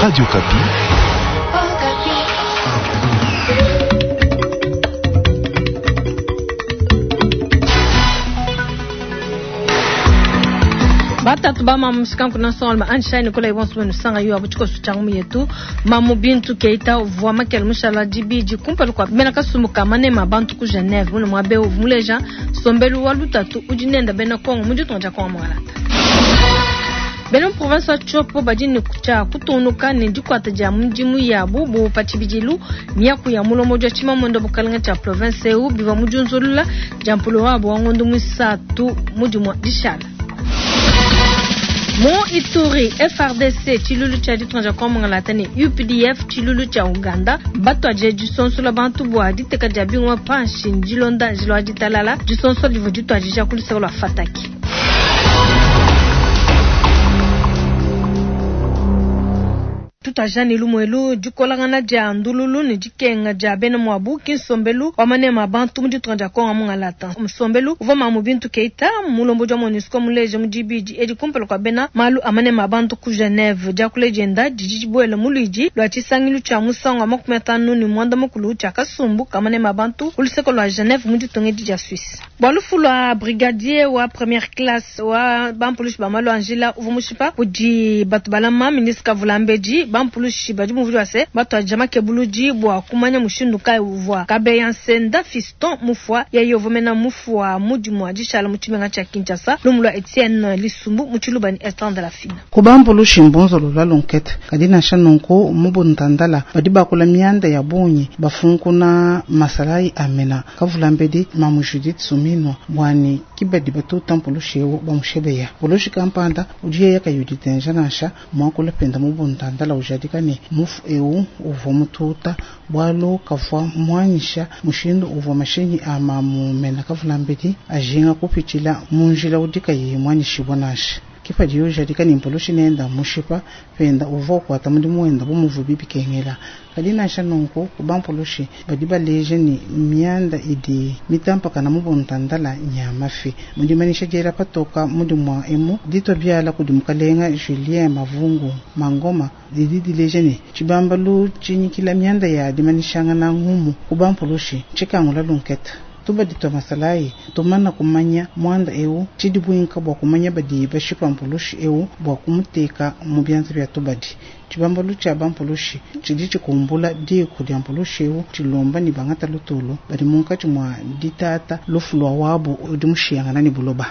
Radio Okapi. Batatu ba mamu sikanku na songo anshine kula ibonso benu sanga yo abu tshikoso tshia ngumu yetu. Mamu Bintu Keita uvua makele mushala dibidi kumpala kua bena kasumbu ka manema a bantu ku Geneve mune muaba eu uvua muleja nsombelu wa lutatu udi nenda bena Kongo mu ditunga dia Kongo Mwangalata. Bena mu province wa Tshopo badi ne tshia kutungunuka ne dikuata dia midimu yabu bu pa tshibidilu. Miaku ya mulombodi wa tshimamuende wa bukalenge tshia province eu bivua mu diunzulula dia mpulo wabu wa ngondo muisatu mu dimua dishala. Mu Ituri, FARDC tshiluilu tshia ditunga dia Kongo Mwangalata ne UPDF tshiluilu tshia Uganda batuadije disonsola bantu bua diteka dia bingoma panshi ne dilonda njila wa ditalala. Disonsola divua dituadija ku luseke lua Fataki. Tutuadija ne lumu elu, dikolangana dia ndululu ne dikenga dia bena muabu ki nsombelu wa manema a bantu mu ditunga dia Kongo Mungalata. Nsombelu uvua Mamu Bintu Keita, mulombodi wa MONUSCO muleje mu dibidi edi kumpala kua bena malu a manema a bantu ku Geneve. Diakula dienda didi dibuela mu luidi lua tshisangilu tshia musangu wa 56 tshia kasumbu ka manema a bantu ku luseke lua Geneve mu ditunga edi dia Suisse. Bua lufu lua brigadier wa première classe wa bampulushi ba malu a njila uvua mushipa kudi batu balama ministre Kavulambedi, bampulushi badi bumvuija bua se batuadija makebuludi bua kumanya mushindu kayi uvua Kabeya Nsenda Fiston mufua. Yeye uvua mena mufua mu dimua dishala mu tshimenga tshia Kinshasa. Lumu lua Etienne Lisumbu mu Tshiluba ne Esther Ndalafina. Ku bampulushi mbunzulula lunkete, kadi nansha nunku mu buntandala badi bakula mianda ya bungi bafunkuna masalayi a mena Kavulambedi Mamu Judith Suminwa bua ne ki badi batuta mpulushi eu bamushebeya. Mpulushi kampanda udi yeya kayi uditenja nansha muakula penda mu buntandala ujadika ne mufu eu uvua mututa bualu kavua muanyisha mushindu uvua mashinyi a mamu mena Kavulambedi ajinga kupitshila mu njila udi kayi muanyishibua nansha. Ke padiye ujadika ne mpulushi nenda mushipa penda uvua ukuata mudimu wenda bu muvubi bikengela. Kadi nansha nunku, ku bampulushi badi baleja ne mianda idi mitampakana mu buntandala nya mafi. Mu dimanyisha diela patoka mu dimua emu ditua biala kudi mukalenga Julien Mavungu Mangoma didi dileja ne tshibambalu tshinyikila mianda ya dimanyishangana ngumu ku bampulushi ntshikangula lunketa. Tubadi tua masalayi tumana kumanya muanda eu, tshidi buinka bua kumanya badi bashipa mpulushi eu bua kumuteka mu bianza bia tubadi. Tshibambalu tshia bampulushi tshidi tshikumbula diku dia mpulushi eu tshilomba ne bangata lutulu badi munkatshi mua ditata lufu lua wabu udi mushiyangana ne buloba.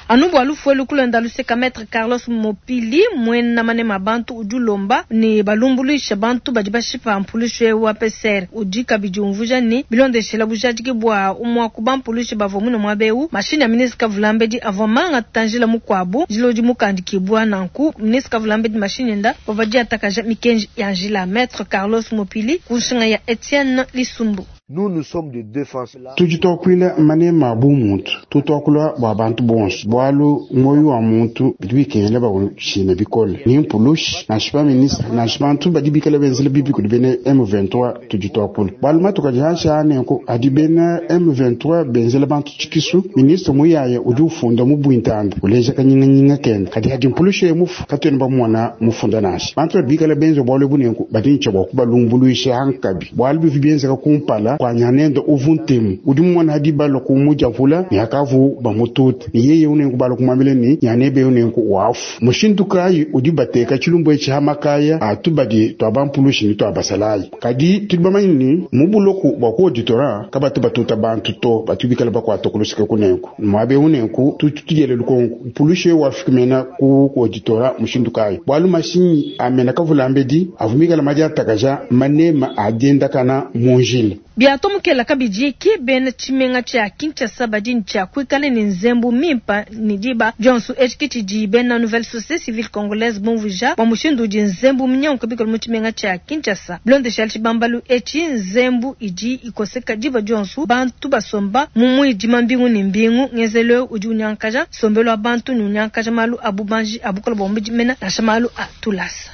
Anu bua lufu elu kulonda luseka, Maitre Carlos Mopili, muena manema a bantu udi ulomba ne balumbuluisha bantu badi bashipa mpulushi eu wa PCR. Udi kabidi umvuija ne bilondeshela bujadiki bua umua ku bampulushi bavua muine muaba eu, mashinyi a ministre Kavulambedi avua mangata njila mukuabu, njila udi mukandikibua. Nanku ministre Kavulambedi mashinyi enda bavua diatakaja mikenji ya njila. Maitre Carlos Mopili ku nshinga ya Etienne Lisumbu. Nous, nous sommes des défenseurs. Tudi tuakuila manema a bumuntu, tudi tuakula bua bantu bonso, bualu muoyo wa muntu bidi bikengela bautshina bikole. Ni mpulushi, nansha ba ministre, nansha bantu badi bikale benzela bibi kudi bena M23, tudi tuakula. Bualu matuku adi hanshi aa nenku adi bena M23 benzela bantu tshikisu, ministre Muyaya udi ufunda mu buintanda uleja kanyinganyinga kende, kadi hadi mpulushi yeye mufu katuena bamumona mufunda nansha. Bantu badi bikale benza bualu ebu nenku badi ne tshia bua kubalumbuluisha hankabi, bualu bivua bienzeka kumpala kua nyanende uvu ntemu udi mumona hadi balua kumudiavula ne hakavu bamutute ne yeye unenku balua kumuambila ne nyanebe unenku wafu. Mushindu kayi udi bateka tshilumbu etshi ha makaya a tubadi tua bampulushi ne tua basalayi? Kadi tudi bamanye ne mu buloku bua ku auditorat kabatu batuta bantu to, batu bikala bakuata ku luseke kunenku muaba eu. Nenku tutu tudiela lukonko, mpulushi eu wafika mena ku auditorat mushindu kayi? Bualu mashinyi a mena kavulambedi avua mikala madiatakaja manema a diendakana mu njila. Biatomokela kabidi ki bena tshimenga tshia Kinshasa badi ne tshia kuikala ne nzembu mimpa ne diba dionso. Etshi ki tshidi bena Nouvelle Société Civile Congolaise bumvuija bua mushindu udi nzembu minyanguka bikole mu tshimenga tshia Kinshasa. Bilondeshile tshibambalu etshi, nzembu idi ikoseka diba dionso, bantu basomba mu muidima mbingu ne mbingu. Ngenzelu eu udi unyangakaja nsombelu wa bantu ne unyangakaja malu a bubanji a bukole bua mubidi mena nansha malu a tulasa.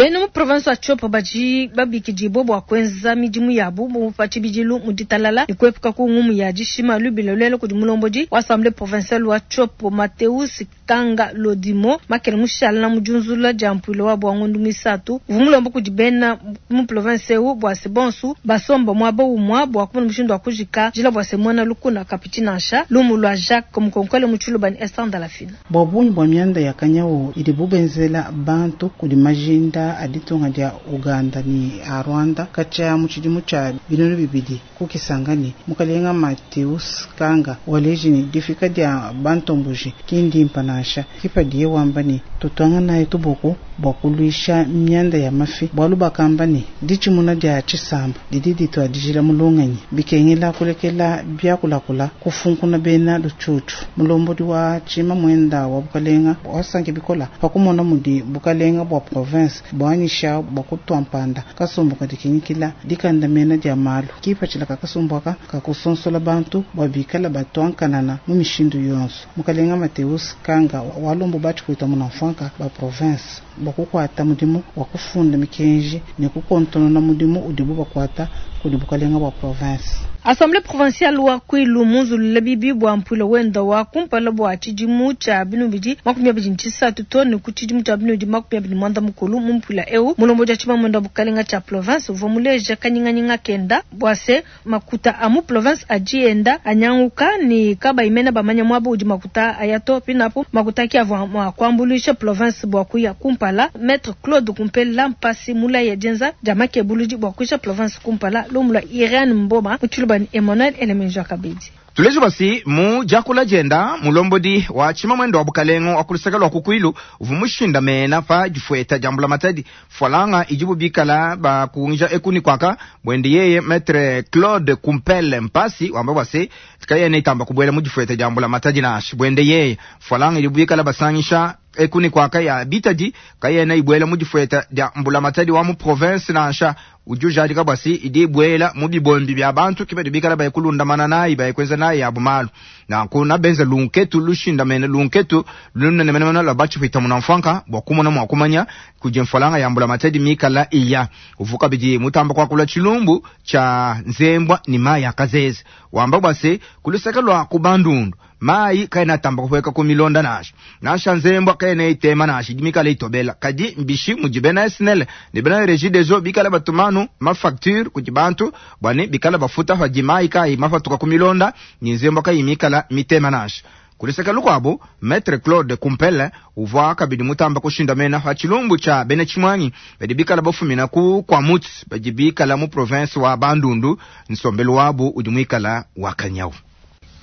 Bena mu province wa Tshopo badi babikidibua bua kuenza midimu yabu bu pa tshibidilu mu ditalala ne kuepuka ku ngumu ya dishima. Lubila luela kudi mulombodi wa Assemblee provinciale wa Tshopo Mateus Kanga Lodimo makele mushala mu diunzulula dia mpuilu wabu wa ngondu muisatu uvua mulomba kudi bena mu province eu bua se bonsu basomba muaba umua bua kumona mushindu wa kujika njila bua se muena lukuna kapitshi nansha. Lumu lua Jacques Mukonkole mu Tshiluba ne Esther Ndalafina. Bua bungi bua mianda ya kanyawu idibu benzela bantu kudi majinda a ditunga dia Ouganda ne a Rwanda katshia mu tshidimu tshia 2000 ku Kisangani, mukalenga Mateus Kanga waleji ne difika dia bantomboji ki ndimpa nansha. Ke padiye wamba ne, Tutuanganayi tuboko bua kuluisha mianda ya mafi, bualu bakamba ne, ditshimuna dia tshisamba didi dituadijila mu lungenyi. Bikengela kulekela biakulakula kufunkuna bena lutshutshu. Mulombodi wa tshimamuenda wa bukalenga wasanki bikola pa kumona mudi bukalenga bua province buanyisha bua kutua mpanda kasumbu kadi kinyikila dikandamena dia malu. Kipatshila ka kasumbu aka ka kusonsola bantu bua bikala batua nkanana mu mishindu yonso. Mukalenga Mateus Kanga walombu ba tshipuita munamfuanka ba province bua kukuata mudimu wa kufunda mikenji ne kukontonona mudimu udibu bakuata kudi bukalenga bua province. Assemblee provinciale wa Kwilu munzulula bibi bua mpuila wenda wa kumpala bua tshidimu tshia 2023 too ne ku tshidimu tshia 2024. Mu mpuila eu mulombodi wa tshimamunda bukalenga tshia province uvua muleja kanyinganyinga kenda bua se makuta a mu province adi enda anyanguka ne kabayi mena bamanya muaba udi makuta aya to. Pinapu makuta ki avua mua kuambuluisha province bua kuya kumpala. Maître Claude Kumpela Mpasi mulaya dienza dia makebuludi bua kuisha province kumpala. Lumu lua Irene Mboma mu Tshiluba ne Emmanuel Elemenja kabidi. Tuleje basi mu diakula dienda mulombodi wa tshimamwendo wa bukalenga wa kuluseke lua ku Kwilu uvua mushindamena pa difueta dia mbulamatadi fualanga idibu bikala bakungija eku ne kuaka buende yeye Maître Claude Kumpele Mpasi wamba bua se kayena itamba kubuela mu difueta dia mbulamatadi nansha buende yeye fualanga idibu bikala basangisha eku ne kuaka ya bitadi kayena ibuela mu difueta dia mbulamatadi wa mu province nansha. Udi ujadika bua se idi ibuela mu bibombi bia bantu ke badi bikala baye kulundamana nayi baye kuenza nayi yabu malu. Nanku nabenza lunketu lushindamene lunketu lunene menemene lua batshipwita munamfuanka bua kumona mua kumanya kudi mfualanga ya mbulamatadi mikala iya. Uvua kabidi mutamba kuakula tshilumbu tshia nzembwa ne mayi a kazeze wamba bua se ku luseke lua ku Bandundu mayi kaena atamba kupueka ku milonda nansha. Nansha nzembwa kaena itema nansha idi mikala itobela. Kadi mbishi mudi bena SNEL ne bena Regideso bikala batumanu mafacture kudi bantu bua ne bikala bafuta padi mayi kayi mapatuka ku milonda ne nzembwa kayi mikala mitema nansha. Ku luseke lukuabu, Maitre Claude Kumpele uvua kabidi mutamba kushindamena pa tshilumbu tshia bena tshimuangi badi bikala bafumina ku Kwamouth badi bikala mu province wa Bandundu, nsombelu wabu udi muikala wa kanyawu.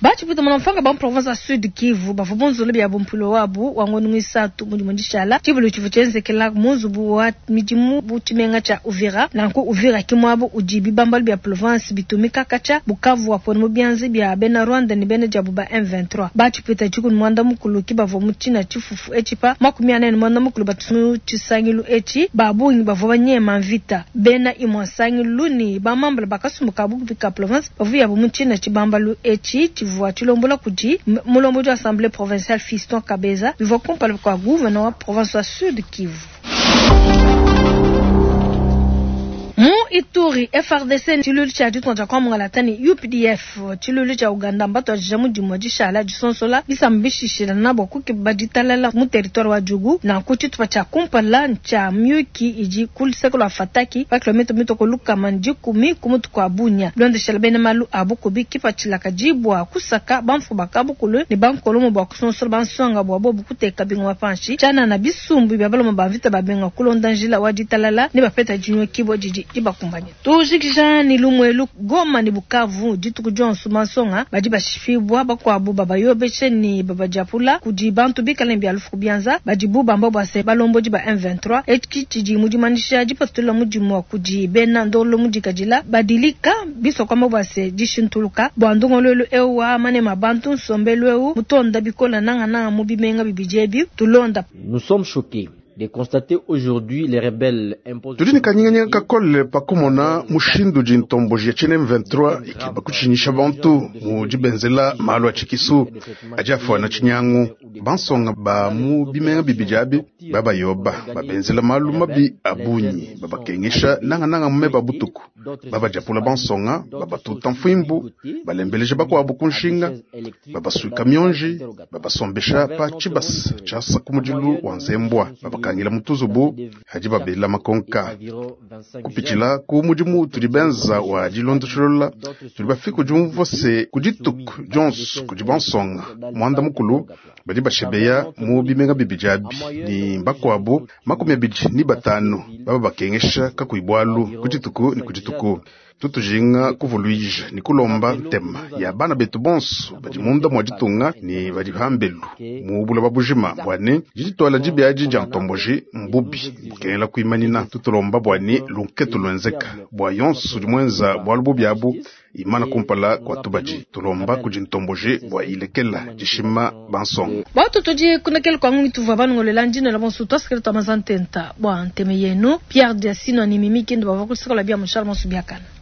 Batshipwita munamfuanka ba mu province wa Sud Kivu bavua bunzula biabu mpuilu wabu wa ngondo muisatu mu dimue dishala. Tshibilu tshivua tshienzekela mu nzubu wa midimu bu tshimenga tshia Uvira. Nanku Uvira ki muaba udi bibambalu bia province bitumika katshia Bukavu wapona mu bianza bia bena Rwanda ne bena diabu ba M23. Batshipwita dikumi muanda mukulu ki bavua mu tshina tshifufu etshi pa 45 batu mu tshisangilu etshi. Ba bungi bavua banyema mvita. Bena imua nsangilu ne ba mambala ba kasumbu ka bukubi ka province bavua yabu mu tshina tshibambalu etshi tshivua tshilombola kudi mulombodi wa Assemblee provinciale Fiston Kabeza bivua kumpala kua gouverneur wa province wa Sud Kivu. Mu Ituri, FARDC tshiluilu tshia ditunga dia Kongo mungalata ne UPDF tshiluilu tshia Uganda mbatuadija mudimu wa dishala disonsola bisamba bishishilana bua kukeba ditalala mu territoire wa Djugu. Nanku tshitupa tshia kumpala ntshia miyuki idi ku luseke lua Fataki pa kilomètre mitue 110 ku mutu kua Bunia. Bilondeshela bena malu a bukubi kipatshila kadi bua kusaka bamfumu ba kabukulu ne bankolomo bua kusonsola bansonga bua bobu kuteka bingoma panshi tshianana bisumbu bia baluma ba mvita babenga kulonda njila wa ditalala ne bapeta dinyokibua didi dibakumbanyine. Tujikija ne lumuelu Goma ne Bukavu dituku dionso bansonga badi bashipibua bakuabu babayobeshe ne babadiapula kudi bantu bikale ne bia lufu ku bianza badibu bamba bua se balombodi ba M23. Etshi tshidi mu dimanyisha dipatula mudimu kudi bena ndongoluelu mudikadila badilika bisua kuamba bua se dishintuluka bua ndongoluelu eu wa manema bantu nsombelu eu mutonda bikola nangananga mu bimenga bibidi ebi tulonda. Nous sommes choqués. De constater aujourd'hui les rebelles imposent Tudi ne kanyinganyinga kakole pa kumona mushindu udi ntomboji ya tshiena M23 ikeba kutshinyisha bantu mu dibenzela malu a tshikisu adi afuana tshinyangu. Bansonga ba mu bimenga bibidi abi babayoba babenzela malu mabi a bungi, babakengesha nangananga mu meba a butuku, babadiapula bansonga, babatuta mfuimbu, balembeleja bakuabu ku nshinga, babasuika mionji, babasombesha pa tshibasa tshiasa ku mudilu wa nzembua, babakangila mu tuzubu hadi babela makonka. Kupitshila ku mudimu tudi benza wa dilondesholola, tudi bafike ku diumvua se ku dituku dionso kudi bansonga muanda mukulu badi bashebeya mu bimenga bibidi abi ni bakuabu 25 baba bakengesha kakuyi bualu ku dituku ni ku dituku. Tutujinga kuvuluija ni kulomba ntema ya bana betu bonso badi munda mua ditunga ni badi pambelu mu buloba bujima bua ne didituala dibi dia ntomboji mbubi bukengela kuimanina. Tutulomba bua ne lunketu luenzeka bua yonso udi muenza bualu bubi abu imana kumpala kua tubadi. Tulomba kudi ntomboji bua ilekela dishima bansonga. Batu tudi kunekele kwa ngungi tuvua banongolela ndina la bonso twasikele twa mazantenta bua nteme yenu Pierre Diasino ni Mimi Kendo bava kusekola bia mushal monso biakana.